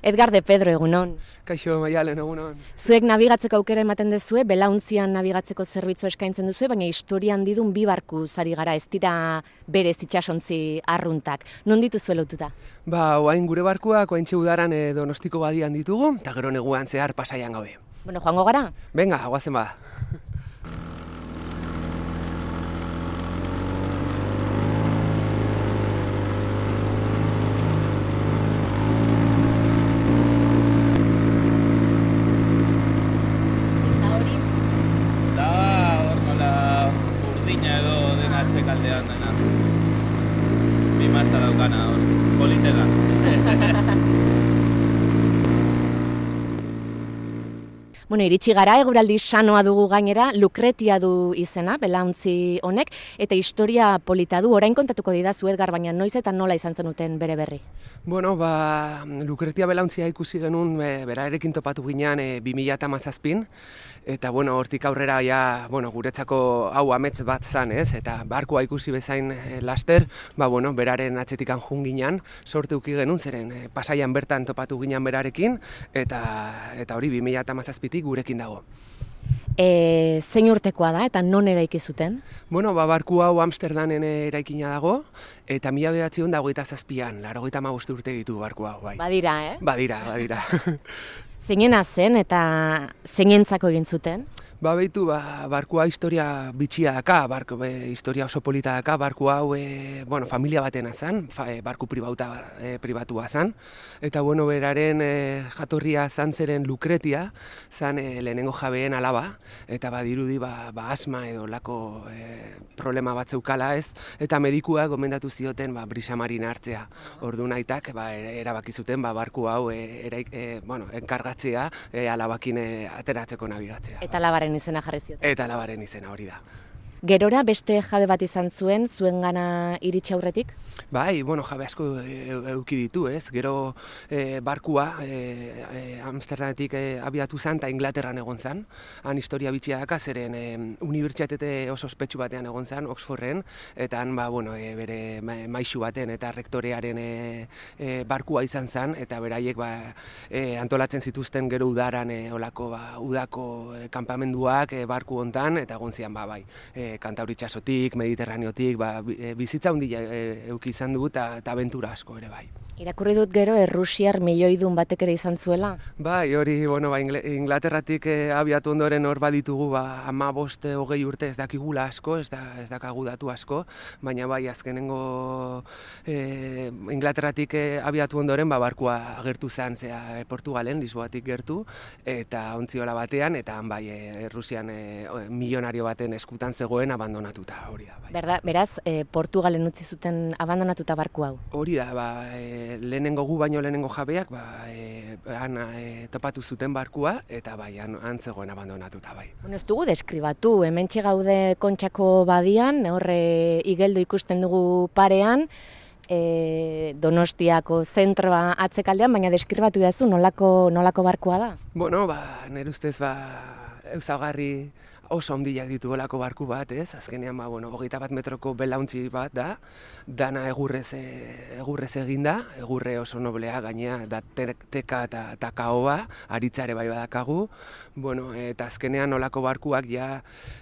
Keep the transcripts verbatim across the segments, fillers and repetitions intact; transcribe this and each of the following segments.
Edgar de Pedro, egunon. Kaixo, Maialen, egunon. Zuek nabigatzeko aukera ematen duzue, belauntzian nabigatzeko zerbitzu eskaintzen duzue, baina historian didun bi barku zari gara, ez dira berez itsasontzi arruntak. Non dituzue lotuta? Ba, oain gure barkuak, oain udaran e, Donostiko badian ditugu, eta gero neguan zehar Pasaian gaude. Bueno, joango gara? Venga, guazen ba. Kaldean dena. Bi mazta daukana hor, politega. Bueno, iritsi gara, eguraldi sanoa dugu gainera, Lukretia du izena, belauntzi honek, eta historia polita du, orain kontatuko didazu Edgar, baina noiz eta nola izan zenuten bere berri? Bueno, ba, Lukretia belauntzia ikusi genuen, e, berarekin topatu ginean e, bi mila hamazazpin, eta bueno, hortik aurrera ja, bueno, guretzako hau amets bat zan, ez? Eta barkua ikusi bezain e, laster, ba, bueno, beraren atzetikan jun ginean, sorte uki genuen, zeren e, Pasaian bertan topatu ginean berarekin, eta eta hori bi mila hamazazpitik gurekin dago. E, zein urtekoa da eta non eraiki zuten? Bueno, ba, barku hau Amsterdamen eraikina dago, eta mila bederatziehun eta hogeita zazpian, laurogeita hamabost urte ditu barku hau, bai. Badira, eh? Badira, badira. Zeinena zen eta zeinentzako egin zuten? Ba, behitu, ba, barkua historia bitxia daka, barku, be, historia oso polita daka, barku hau, e, bueno, familia batena zan, fa, e, barku pribauta, e, pribatua zan, eta, bueno, beraren e, jatorria zan zeren Lukretia, zan e, lehenengo jabeen alaba, eta badirudi, ba, ba asma edo lako e, problema bat zeukala ez, eta medikua gomendatu zioten, ba, brisamarin hartzea, ordu naitak, ba, erabaki zuten, ba, barku hau, e, eraik, e, bueno, enkargatzea, e, alabakin e, ateratzeko nabigatzea. Eta labaren izena jarri zioten. Eta labaren izena hori da. Gerora beste jabe bat izan zuen, zuengana iritsi aurretik? Bai, bueno, jabe asko eduki ditu, ez? Gero e, barkua e, e, Amsterdametik e, abiatu zen eta Inglaterran egon zen. Han historia bitxia daka, zeren e, unibertsitate oso ospetsu batean egon zen, Oxforden, eta han, ba, bueno, e, bere maixu baten eta rektorearen e, e, barkua izan zen, eta beraiek ba, e, antolatzen zituzten gero udaran e, olako, ba, udako e, kanpamenduak e, barku hontan, eta egon zian, ba, bai. E, Kantauri itsasotik, Mediterraneotik, ba, bizitza handia eduki izan dugu eta abentura asko ere bai. Irakurri dut gero errusiar milioidun batek ere izan zuela? Bai, hori, bueno, ba, Inglaterratik eh, abiatu ondoren hor baditugu, ba, ama bost hogei urte ez dakigula asko, ez, da, ez dakagu datu asko, baina bai, azkenengo eh, Inglaterratik eh, abiatu ondoren, ba, barkua agertu zen, zea, Portugalen, Lisboatik gertu, eta ontziola batean, eta han bai, eh, Errusian eh, milionario baten eskutan zegoen abandonatuta, hori da. Bai. Berda, beraz, eh, Portugalen utzi zuten abandonatuta barku hau? Hori da, ba, eh, lehenengo gu baino lehenengo jabeak, ba, e, han e, topatu zuten barkua, eta bai, han, han zegoen abandonatuta, bai. Bueno, ez dugu deskribatu, hementxe gaude Kontxako badian, horre igeldo ikusten dugu parean, e, Donostiako zentroa atzekaldean, baina deskribatu dazu nolako, nolako barkua da? Bueno, ba, nire ustez, ba, ezaugarri oso handiak ditu olako barku bat, ez? Azkenean, ba, bueno, hogeita bat metroko belauntzi bat da, dana egurrez, egurrez eginda, egurre oso noblea gainea, da teka eta kaoa, aritzare bai badakagu, bueno, eta azkenean olako barkuak ja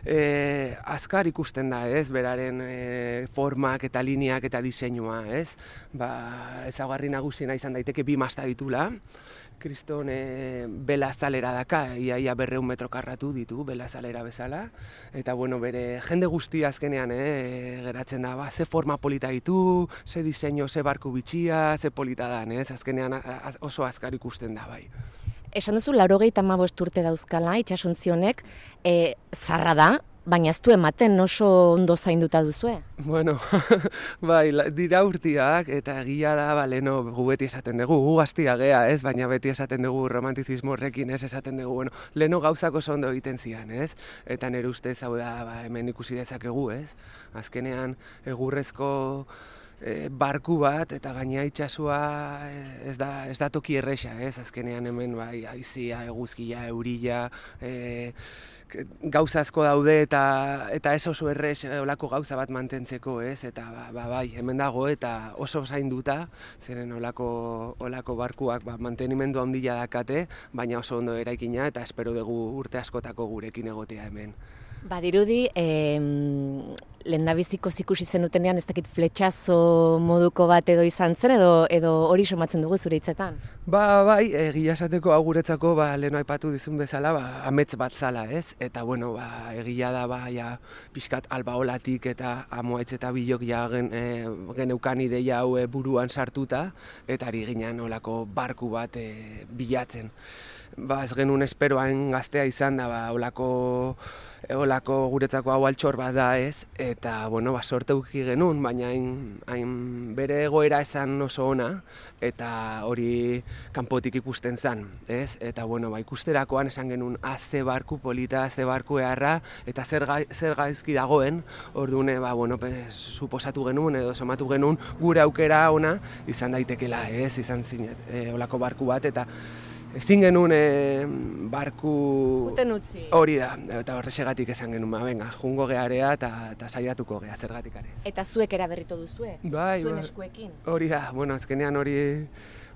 e, azkar ikusten da, ez? Beraren e, formak eta lineak eta diseinua, ez? Ba, ezaugarri nagusiena izan daiteke bi masta ditula, Kriston e, bela azalera daka, ia, ia berreun metro karratu ditu, bela azalera bezala, eta bueno, bere jende guztia azkenean e, geratzen da, ba, ze forma polita ditu, ze diseinu, ze barku bitxia, ze polita dan, ez? Azkenean az, oso azkar ikusten da, bai. Esan duzu, laurogeita hamabost urte dauzkala, itxasuntzionek, e, zarra da, baina ez du ematen oso ondo zainduta duzue? Bueno, bai, dira urtiak, eta egia da, ba, leheno gu beti esaten dugu, gu gaztia gea, ez? Baina beti esaten dugu romantizismo horrekin, ez? Esaten dugu, bueno, leheno gauzako oso ondo egiten zian, ez? Eta nire ustez hau da, ba, hemen ikusi dezakegu, ez? Azkenean, egurrezko e, barku bat, eta gainea itxasua ez da, ez da toki erresa, ez? Azkenean hemen bai, haizia, eguzkia, eurila, e, gauza asko daude eta eta ez oso errez olako gauza bat mantentzeko, ez? Eta ba, ba, bai, hemen dago eta oso zainduta, zeren olako olako barkuak ba, mantenimendu handia dakate, baina oso ondo eraikina eta espero dugu urte askotako gurekin egotea hemen. Badirudi, eh, lehendabiziko ikusi zenutenean ez dakit fletxazo moduko bat edo izan zen edo edo hori somatzen dugu zure hitzetan? Ba, bai, egia esateko hau guretzako ba, lehen aipatu dizun bezala, ba, amets bat zala, ez? Eta, bueno, ba, egia da, ba, ja, pixkat albaolatik eta amoaitz eta bilok ja gen, e, geneukan ideia hau e, buruan sartuta, eta ari ginen olako barku bat e, bilatzen. Ba, ez genuen esperoan gaztea izan da, ba, olako Olako guretzako hau altxor bat da, ez? Eta, bueno, ba, sorte uki genuen, baina hain, hain bere egoera esan oso ona, eta hori kanpotik ikusten zen, ez? Eta, bueno, ba, ikusterakoan esan genuen, ah, ze barku polita, ze barku eharra, eta zer, gai, zer gaizki dagoen, orduan, ba, bueno, pues, suposatu genuen, edo somatu genuen, gure aukera ona, izan daitekela, ez? Izan zinet, e, olako barku bat, eta ezin genuen e, barku Uten utzi. Hori da, eta horrexegatik esan genuen, ba, venga, jungo gearea eta, eta saiatuko gea, zergatik arez. Eta zuek eraberritu duzue? Bai, zuen ba, eskuekin? Hori da, bueno, azkenean hori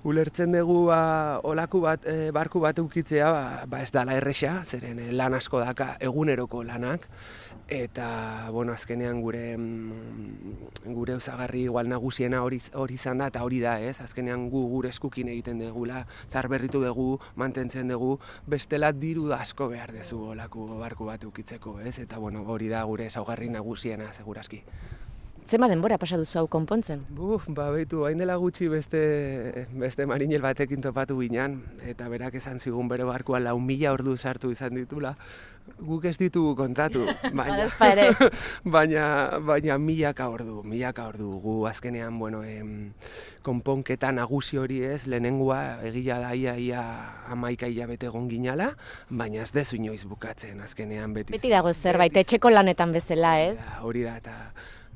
ulertzen dugu ba, olaku bat, e, barku bat eukitzea, ba, ba ez dala erresa, zeren e, lan asko daka eguneroko lanak, eta, bueno, azkenean gure gure usagarri igual nagusiena hori hori izan da, eta hori da, ez? Azkenean gu gure eskukin egiten degula, zarberritu dugu, mantentzen dugu, bestela diru asko behar dezu olako barku bat eukitzeko, ez? Eta, bueno, hori da gure ezaugarri nagusiena, segurazki. Zema denbora pasa duzu hau konpontzen? Buf, ba, behitu, hain dela gutxi beste, beste marinel batekin topatu ginen, eta berak esan zigun bere barkuan lau mila ordu sartu izan ditula. Guk ez ditugu kontatu, baina, baina, baina milaka ordu, milaka ordu. Gu azkenean, bueno, em, konponketa nagusi hori ez, lehenengoa egia da ia, ia amaika hilabete egon ginala, baina ez dezu inoiz bukatzen, azkenean beti. Beti dago zerbait, etxeko lanetan bezala, ez? Hori da, eta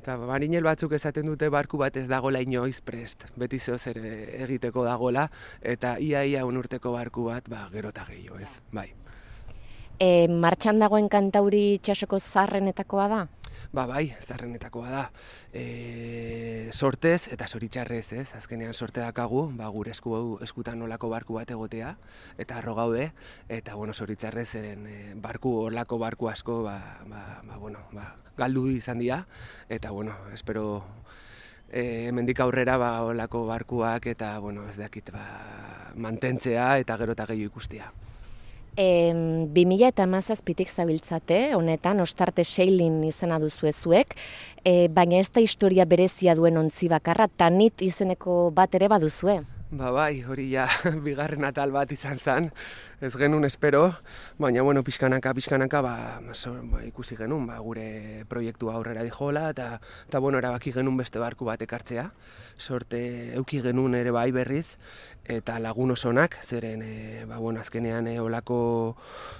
Eta marinel batzuk esaten dute barku bat ez dagola inoiz prest, beti zeo zer egiteko dagola, eta ia-ia unurteko barku bat, ba, gero eta gehiago ez, bai. E, martxan dagoen kantauri itxasoko zaharrenetakoa da? Ba, bai, zaharrenetakoa da. E, sortez eta zoritxarrez, ez? Azkenean sorte dakagu, ba, gure esku, eskutan olako barku bat egotea, eta arro gaude, eta, bueno, zoritxarrez eren e, barku, olako barku asko, ba, ba, ba, bueno, ba, galdu izan dira, eta, bueno, espero e, hemendik aurrera, ba, olako barkuak, eta, bueno, ez dakit, ba, mantentzea, eta gero eta gehiago ikustea. E, bi mila hamazazpitik zabiltzate, honetan, ostarte seilin izena duzu ezuek, e, baina ez da historia berezia duen ontzi bakarra, Tanit izeneko bat ere baduzue. Ba bai, hori ja bigarren atal bat izan zen, ez genuen espero, baina bueno, pixkanaka, pixkanaka, ba, so, ba, ikusi genuen, ba, gure proiektua aurrera dijola, eta, eta bueno, erabaki genuen beste barku bat ekartzea, sorte euki genuen ere bai berriz, eta lagun osonak, zeren, e, ba, bueno, azkenean e, olako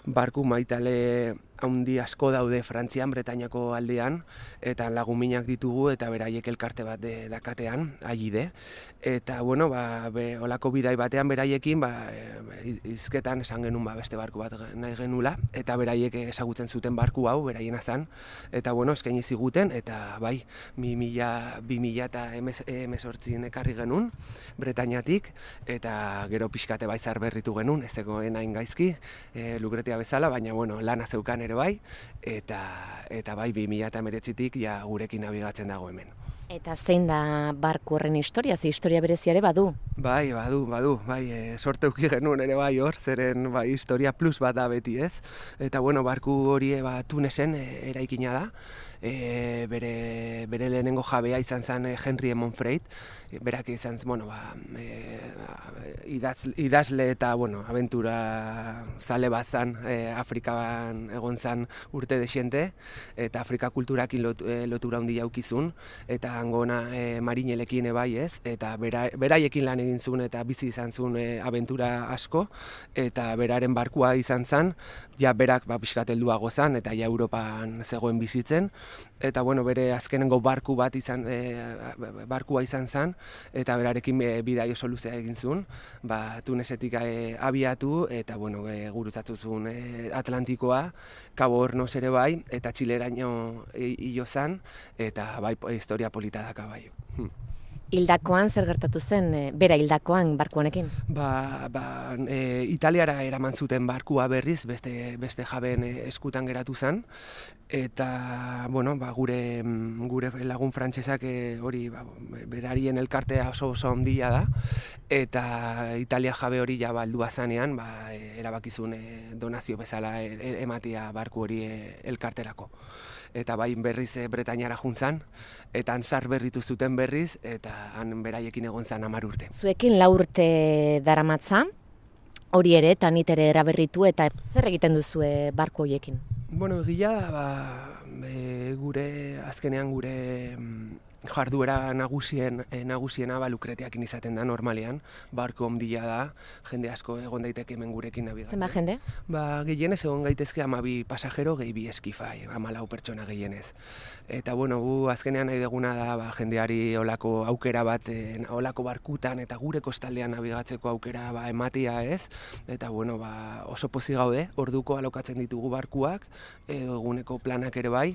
barku maitale haundi asko daude Frantzian, Bretainako aldean, eta laguminak ditugu, eta beraiek elkarte bat de, dakatean, aide. Eta, bueno, ba, be, olako bidai batean beraiekin, ba, e, izketan esan genuen ba, beste barku bat nahi genula, eta beraiek ezagutzen zuten barku hau, beraiena zen, eta, bueno, eskaini ziguten, eta, bai, bi mila eta hemezortzin ekarri genuen, Bretainatik, eta gero pixkate bai zarberritu genuen, ez zegoen hain gaizki, e, Lukretia bezala, baina, bueno, lana zeukan ere bai, eta, eta bai, bi mila eta hemeretzitik ja gurekin nabigatzen dago hemen. Eta zein da barku horren historia, ze historia bereziare badu? Bai, badu, badu, bai, e, sorte uki genuen ere bai hor, zeren bai, historia plus bat da beti ez. Eta bueno, barku hori ba, Tunesen e, eraikina da, e, bere, bere lehenengo jabea izan zen e, Henry Monfreit, e, berak izan zen, bueno, ba, e, idaz, idazle eta, bueno, aventura zale bat zen, e, Afrikan egon zen urte desiente, eta Afrika kulturakin lot, e, lotura handia aukizun, eta hangona e, marinelekin ebai ez, eta bera, beraiekin lan egin zuen eta bizi izan zuen e, aventura asko, eta beraren barkua izan zen, ja berak ba, pixkat helduago zen, eta ja Europan zegoen bizitzen, eta bueno, bere azkenengo barku bat izan, e, barkua izan zen, eta berarekin e, bidaio soluzea egin zuen, ba, Tunesetik e, abiatu, eta bueno, e, gurutzatu zuen e, Atlantikoa, Cabo Hornos ere bai, eta Txileraino hilo zen, eta bai, historia polita daka bai. Hmm. Hildakoan zer gertatu zen, e, bera hildakoan barku honekin? Ba, ba, e, Italiara eraman zuten barkua berriz, beste, beste jabeen eskutan geratu zen, eta bueno, ba, gure, gure lagun frantsesak e, hori ba, berarien elkartea oso oso handia da, eta Italia jabe hori ja baldua zanean, ba, e, erabakizun e, donazio bezala e, e, ematia barku hori e, elkarterako. Eta bai berriz e, Bretainara juntzan, eta han zar berritu zuten berriz, eta han beraiekin egon zan hamar urte. Zuekin lau urte daramatza, hori ere, eta nit ere eraberritu, eta zer egiten duzue barku horiekin? Bueno, egia da, ba, e, gure, azkenean gure jarduera nagusien, e, nagusiena ba, Lukretiakin izaten da normalean, barko ondila da, jende asko egon daiteke hemen gurekin nabigatzen. Zenba jende? Ba, gehienez egon gaitezke hamabi pasajero, gehi bi eskifai, hamalau pertsona gehienez. Eta bueno, gu azkenean nahi deguna da ba, jendeari olako aukera bat, e, olako barkutan eta gure kostaldean nabigatzeko aukera ba, ematia ez, eta bueno, ba, oso pozik gaude, orduko alokatzen ditugu barkuak, edo eguneko planak ere bai,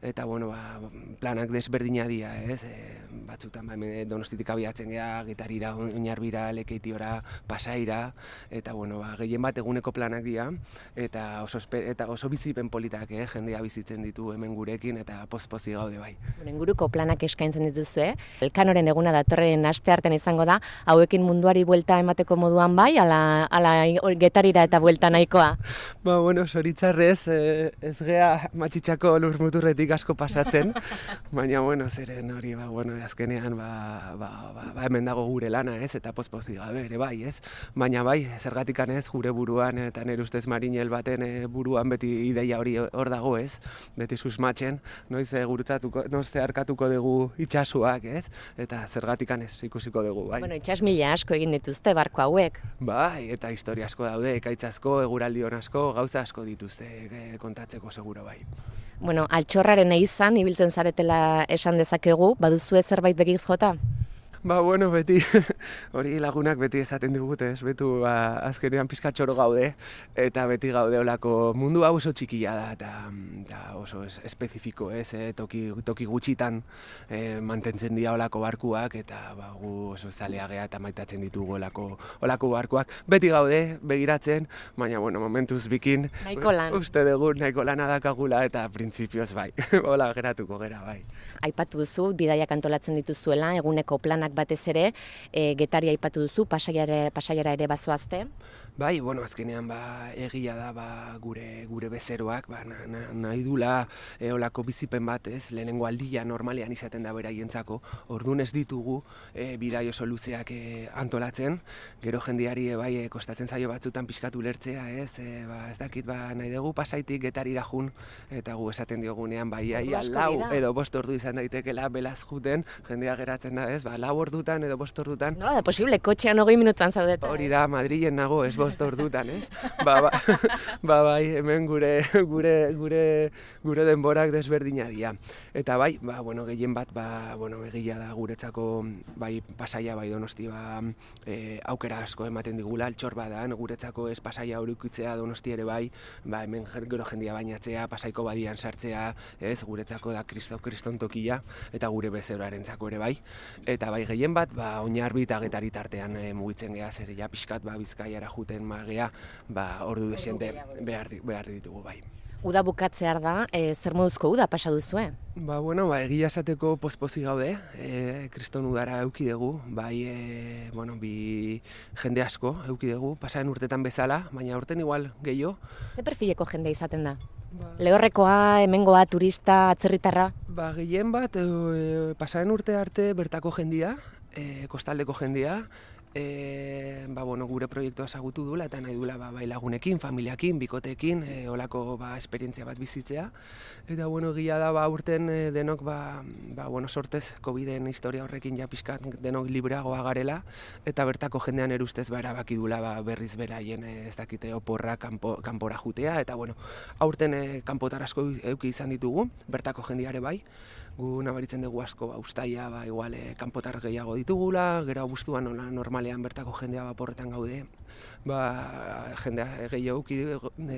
eta bueno, ba, planak desberdina dira ez, E, batzutan ba, Donostitik abiatzen gea, Gitarira, Oinarbira, Lekeitiora, Pasaira, eta bueno, ba, gehien bat eguneko planak dira, eta oso, eta oso bizipen politak, eh? Jendea bizitzen ditu hemen gurekin, eta poz-pozi gaude bai. Inguruko planak eskaintzen dituzue, Elkanoren eguna datorren asteartean izango da, hauekin munduari buelta emateko moduan bai, ala, ala Getarira eta buelta nahikoa? Ba, bueno, zoritzarrez, eh, ez gea matxitxako lurmuturretik asko pasatzen, baina, bueno, zeren hori, ba, bueno, azkenean, ba, ba, ba, ba, hemen dago gure lana, ez, eta pozpozi gabe ere, bai, ez, baina bai, zergatikan ez, gure buruan, eta nire ustez Marinel baten e, buruan beti ideia hori hor dago, ez, beti susmatzen, noiz e, gurutzatuko, noiz zeharkatuko dugu itxasuak, ez, eta zergatikan ez ikusiko dugu, bai. Bueno, itxas mila asko egin dituzte barko hauek. Bai, eta historia asko daude, ekaitz asko, eguraldi hon asko, gauza asko dituzte e, kontatzeko seguro, bai. Bueno, altxorraren izan, ibiltzen zaretela esan dezakegu, baduzue zerbait begiz jota? Ba, bueno, beti, hori lagunak beti esaten digute, ez, betu, ba, azkenean pizkatxoro gaude, eta beti gaude olako mundu hau oso txikia da, eta, eta oso es, espezifiko, ez, e, toki, toki gutxitan e, mantentzen dira olako barkuak, eta ba, gu oso zaleagea eta maitatzen ditugu olako, olako barkuak. Beti gaude, begiratzen, baina, bueno, momentuz bikin, nahiko lan. Uste dugu nahiko lana dakagula, eta printzipioz bai, hola geratuko gera, bai. Aipatu duzu, bidaiak antolatzen dituzuela, eguneko planak batez ere, e, Getaria aipatu duzu, Pasaiara, Pasaiara ere bazoazte. Bai, bueno, azkenean ba, egia da ba, gure gure bezeroak ba, na, na, nahi dula e, olako bizipen bat, ez, lehenengo aldia normalean izaten da beraientzako, orduan ez ditugu e, bidaio oso luzeak e, antolatzen, gero jendeari e, bai e, kostatzen zaio batzutan pixkatu lertzea, ez, e, ba, ez dakit ba, nahi dugu Pasaitik Getarira jun, eta gu esaten diogunean bai, ia, lau edo bost ordu izan daitekela belaz juten, jendea geratzen da, ez, ba, lau ordutan edo bost ordutan. Nola da posible, kotxean hogei minutuan zaudeta. Hori da, Madrilen nago, ez bost ordutan, ez? Ba, ba, ba, bai, hemen gure, gure, gure, gure denborak desberdina dira. Eta bai, ba, bueno, gehien bat, ba, bueno, egia da guretzako, bai, Pasaia, bai, Donosti, ba, e, aukera asko ematen digula, altxor badan, guretzako ez Pasaia horukitzea Donosti ere bai, ba, hemen gero jendia bainatzea, Pasaiko badian sartzea, ez, guretzako da Kristo, Kriston tokia, eta gure bezeroarentzako ere bai. Eta bai, gehien bat, ba, Oinarbi eta Getari tartean e, mugitzen geha, zer ja pixkat, ba, Bizkaiara juten magea, ba, ordu desiente behar, behar ditugu bai. Uda bukatzear da, e, zer moduzko uda pasa duzue? Ba, bueno, ba, egia esateko pozpozi gaude, e, Kriston udara euki dugu, bai, e, bueno, bi jende asko euki dugu, pasaren urtetan bezala, baina urten igual gehiago. Ze perfileko jende izaten da? Ba, Lehorrekoa, hemengoa, turista, atzerritarra? Ba, gehien bat, e, pasaren urte arte bertako jendia, e, kostaldeko jendia, e, ba, bueno, gure proiektua ezagutu duela eta nahi duela ba, bai lagunekin, familiakin, bikoteekin, e, olako ba, esperientzia bat bizitzea. Eta bueno, gila da ba, urten e, denok ba, ba, bueno, sortez Coviden historia horrekin ja pixkat denok libreagoa garela eta bertako jendean erustez ba, erabaki duela ba, berriz beraien e, ez dakite oporra kanpo, kanpora jutea eta bueno, aurten e, kanpotar asko euki izan ditugu, bertako jendeare bai. Gu nabaritzen dugu asko ba, ustaia ba, igual e, kanpotar gehiago ditugula, gero abuztuan nola normalean bertako jendea baporretan gaude, ba, jendea gehiago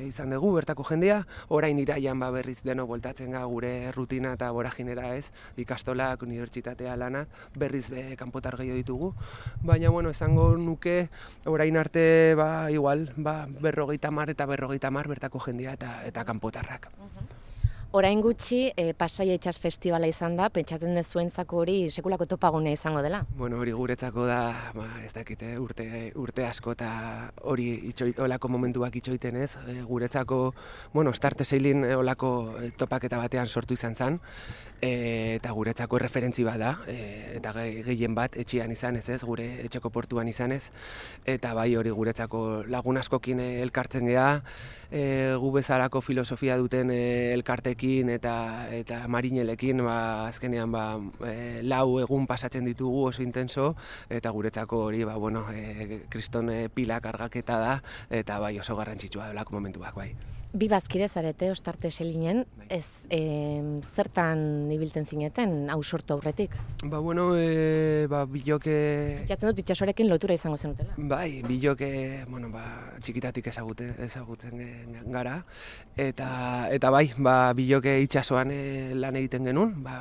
izan dugu bertako jendea, orain iraian ba, berriz deno bueltatzen ga gure rutina eta boraginera ez, ikastolak, unibertsitatea lanak, berriz e, kanpotar gehiago ditugu, baina bueno, esango nuke orain arte ba, igual ba, berrogeita mar eta berrogeita mar bertako jendea eta, eta kanpotarrak. Orain gutxi, e, Pasaia Itsas Festivala izan da, pentsatzen dezuentzako hori sekulako topagunea izango dela? Bueno, hori guretzako da, ba, ez dakite, urte, urte asko eta hori itxoit, olako momentuak itxoiten ez. E, guretzako, bueno, Starte Sailin olako topaketa batean sortu izan zen, e, eta guretzako referentzi bat da, e, eta gehien bat etxean izan ez ez, gure etxeko portuan izan ez, eta bai hori guretzako lagun askokin elkartzen geha, e, gu bezalako filosofia duten e, elkartekin eta eta marinelekin ba, azkenean ba, e, lau egun pasatzen ditugu oso intenso eta guretzako hori ba, bueno, e, kriston e, pila kargaketa da eta bai oso garrantzitsua delako momentuak bai. Bi bazkide zarete Ostarte Selinen, ez e, zertan ibiltzen zineten hau sortu aurretik? Ba bueno, e, ba biloke... Jaten dut itxasorekin lotura izango zenutela. Bai, biloke, bueno, ba, txikitatik ezagute, ezagutzen gara, eta, eta bai, ba, biloke itxasoan e, lan egiten genuen, ba,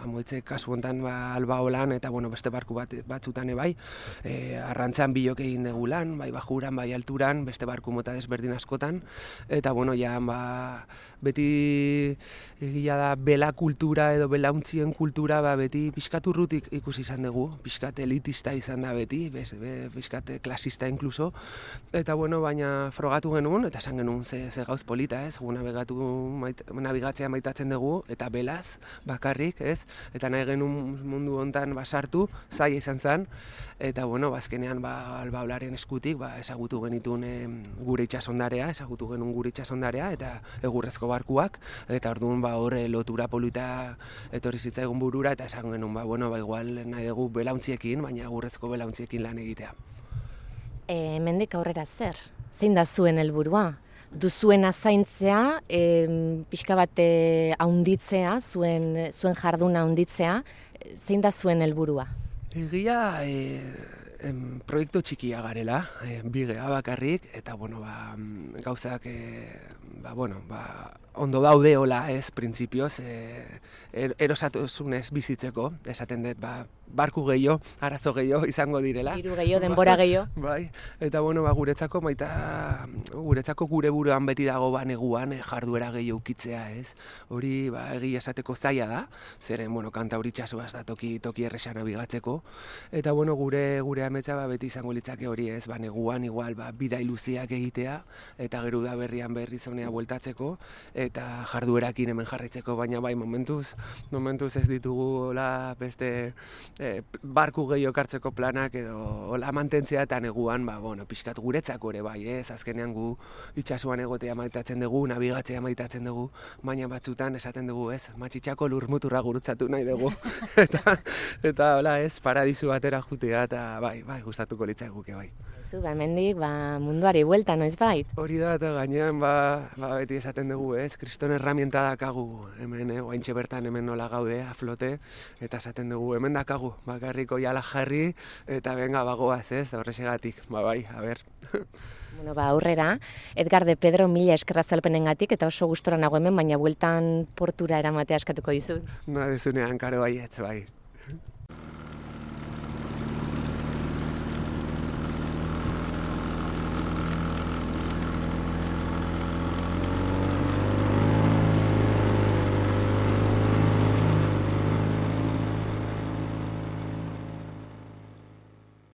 amoitze kasu hontan ba, albao lan, eta bueno, beste barku bat, batzutan bai, e, arrantzan biloke egin dugu lan, bai bajuran, bai alturan, beste barku mota desberdin askotan, eta bueno, ja, ba, beti egia da bela kultura edo belauntzien kultura ba, beti pixkat urrutik ikusi izan dugu, pixkat elitista izan da beti, bez, be, pixkat klasista inkluso, eta bueno, baina frogatu genuen, eta esan genuen ze, ze gauz polita, ez, gu nabigatu, mait, nabigatzea maitatzen dugu, eta belaz, bakarrik, ez, eta nahi genuen mundu hontan basartu, zaila izan zen, eta bueno, bazkenean ba, albaolaren eskutik, ba, ezagutu genitun e, gure itxasondarea, ezagutu genuen gure itxasondarea, eta egurrezko barkuak, eta orduan ba, horre lotura polita etorri zitzaigun burura, eta esan genuen, ba, bueno, ba, igual nahi dugu belauntziekin, baina egurrezko belauntziekin lan egitea. E, hemendik aurrera zer? Zein da zuen helburua? Duzuena zaintzea, e, pixka bat haunditzea, zuen, zuen jarduna haunditzea, zein da zuen helburua? Egia, e, em, proiektu txikia garela, e, bigea bakarrik, eta bueno, ba, gauzak e, ba, bueno, ba, ondo daude hola ez, printzipioz, e, er, erosatuzunez bizitzeko, esaten dut, ba, barku gehiago, arazo gehiago izango direla. Diru gehiago, denbora gehiago. Bai, eta bueno, ba, guretzako maita, guretzako gure buruan beti dago ba, neguan e, jarduera gehiago ukitzea, ez? Hori, ba, egia esateko zaila da, zeren, bueno, kanta hori txasoaz da toki, toki erresan nabigatzeko, eta bueno, gure gure ametsa ba, beti izango litzake hori, ez? Ba, neguan igual, ba, bida iluziak egitea, eta gero da berrian berri zonea bueltatzeko, eta jarduerakin hemen jarraitzeko, baina bai, momentuz, momentuz ez ditugu hola beste E, barku gehiago kartzeko planak edo hola mantentzea eta neguan, ba, bueno, pixkat guretzako ere bai, ez? Azkenean gu itxasuan egotea maitatzen dugu, nabigatzea maitatzen dugu, baina batzutan esaten dugu, ez? Matxitxako lurmuturra gurutzatu nahi dugu. eta, eta hola, ez? Paradisu batera jutea eta bai, bai, gustatuko litzaiguke bai. Zu, ba, hemendik, ba, munduari buelta, noiz bait? Hori da, eta gainean, ba, ba, beti esaten dugu, ez? Kriston herramienta dakagu hemen, eh? Oaintxe bertan hemen nola gaude, aflote, eta esaten dugu, hemen dakagu, bakarriko jala jarri, eta benga bagoaz, ez? Horrexegatik, ba, bai, a ber. Bueno, ba, aurrera, Edgar de Pedro mila eskerra zalpenengatik, eta oso gustora nago hemen, baina bueltan portura eramatea eskatuko dizut. Na, dezunean, karo baietz, bai.